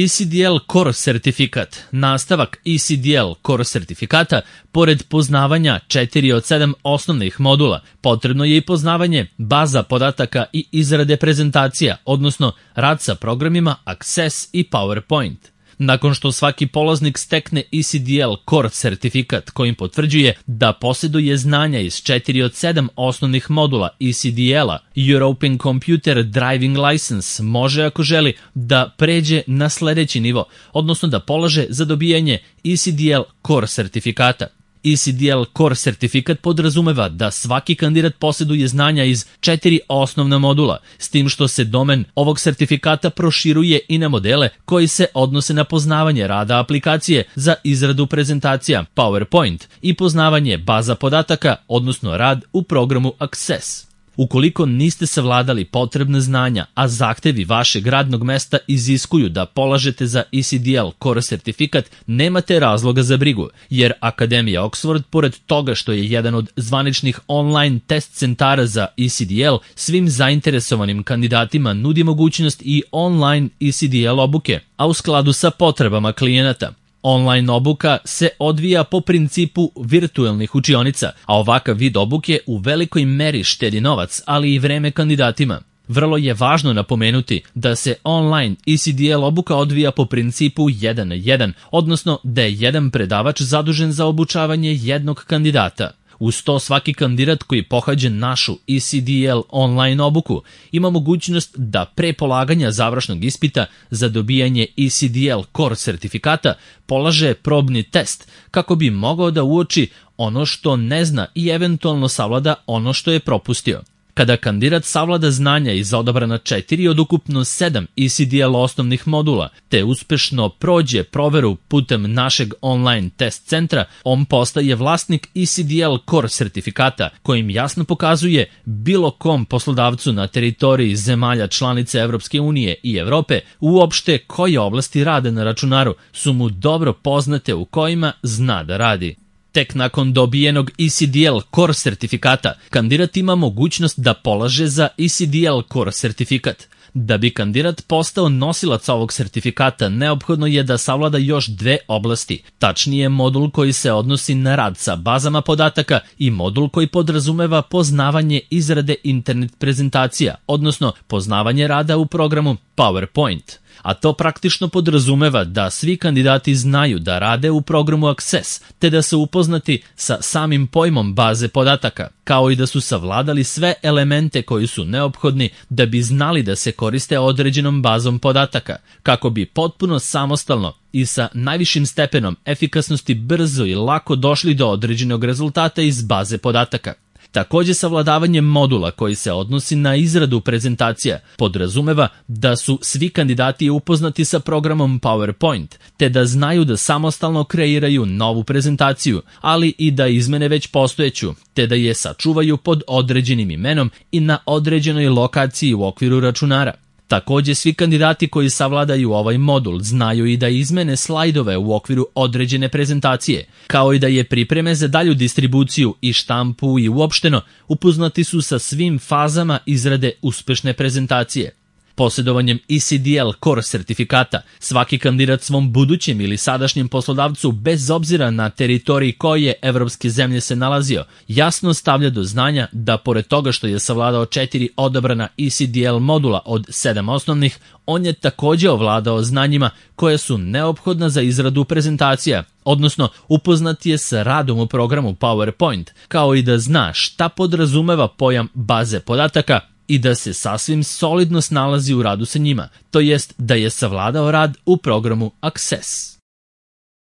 ECDL Core sertifikat, nastavak ECDL Core sertifikata, pored poznavanja 4 od 7 osnovnih modula, potrebno je i poznavanje baza podataka i izrade prezentacija, odnosno rad sa programima Access i PowerPoint. Nakon što svaki polaznik stekne ECDL Core sertifikat kojim potvrđuje da posjeduje znanja iz 4 od 7 osnovnih modula ECDL-a, European Computer Driving License može, ako želi, da pređe na sledeći nivo, odnosno da polaže za dobijanje ECDL Core sertifikata. ECDL Core sertifikat podrazumeva da svaki kandidat posjeduje znanja iz 4 osnovna modula, s tim što se domen ovog sertifikata proširuje i na modele koji se odnose na poznavanje rada aplikacije za izradu prezentacija PowerPoint i poznavanje baza podataka, odnosno rad u programu Access. Ukoliko niste savladali potrebne znanja, a zahtevi vašeg radnog mesta iziskuju da polažete za ECDL Core sertifikat, nemate razloga za brigu, jer Akademija Oxford, pored toga što je jedan od zvaničnih online test centara za ECDL, svim zainteresovanim kandidatima nudi mogućnost i online ECDL obuke, a u skladu sa potrebama klijenata. Online obuka se odvija po principu virtuelnih učionica, a ovakav vid obuke u velikoj meri štedi novac, ali i vreme kandidatima. Vrlo je važno napomenuti da se online ECDL obuka odvija po principu 1 na 1, odnosno da je jedan predavač zadužen za obučavanje jednog kandidata. Uz to svaki kandidat koji pohađa našu ECDL online obuku ima mogućnost da pre polaganja završnog ispita za dobijanje ECDL Core sertifikata polaže probni test kako bi mogao da uoči ono što ne zna i eventualno savlada ono što je propustio. Kada kandidat savlada znanja iz odabrana 4 od ukupno 7 ECDL osnovnih modula, te uspešno prođe proveru putem našeg online test centra, on postaje vlasnik ECDL Core sertifikata, kojim jasno pokazuje bilo kom poslodavcu na teritoriji zemalja članice Evropske unije i Evrope uopšte koje oblasti rada na računaru su mu dobro poznate u kojima zna da radi. Tek nakon dobijenog ECDL Core sertifikata, kandidat ima mogućnost da polaže za ECDL Core sertifikat. Da bi kandidat postao nosilac ovog sertifikata, neophodno je da savlada još 2 oblasti, tačnije modul koji se odnosi na rad sa bazama podataka i modul koji podrazumeva poznavanje izrade internet prezentacija, odnosno poznavanje rada u programu PowerPoint. A to praktično podrazumeva da svi kandidati znaju da rade u programu Access, te da su upoznati sa samim pojmom baze podataka, kao i da su savladali sve elemente koji su neophodni da bi znali da se koriste određenom bazom podataka, kako bi potpuno samostalno i sa najvišim stepenom efikasnosti brzo i lako došli do određenog rezultata iz baze podataka. Takođe, savladavanje modula koji se odnosi na izradu prezentacija podrazumeva da su svi kandidati upoznati sa programom PowerPoint, te da znaju da samostalno kreiraju novu prezentaciju, ali i da izmene već postojeću, te da je sačuvaju pod određenim imenom i na određenoj lokaciji u okviru računara. Takođe, svi kandidati koji savladaju ovaj modul znaju i da izmene slajdove u okviru određene prezentacije, kao i da je pripreme za dalju distribuciju i štampu i uopšteno upoznati su sa svim fazama izrade uspešne prezentacije. Posjedovanjem ECDL Core sertifikata, svaki kandidat svom budućem ili sadašnjem poslodavcu, bez obzira na teritoriji koje evropske zemlje se nalazio, jasno stavlja do znanja da pored toga što je savladao 4 odabrana ECDL modula od 7 osnovnih, on je takođe ovladao znanjima koje su neophodna za izradu prezentacija, odnosno upoznat je sa radom u programu PowerPoint, kao i da zna šta podrazumeva pojam baze podataka i da se sasvim solidno snalazi u radu sa njima, to jest da je savladao rad u programu Access.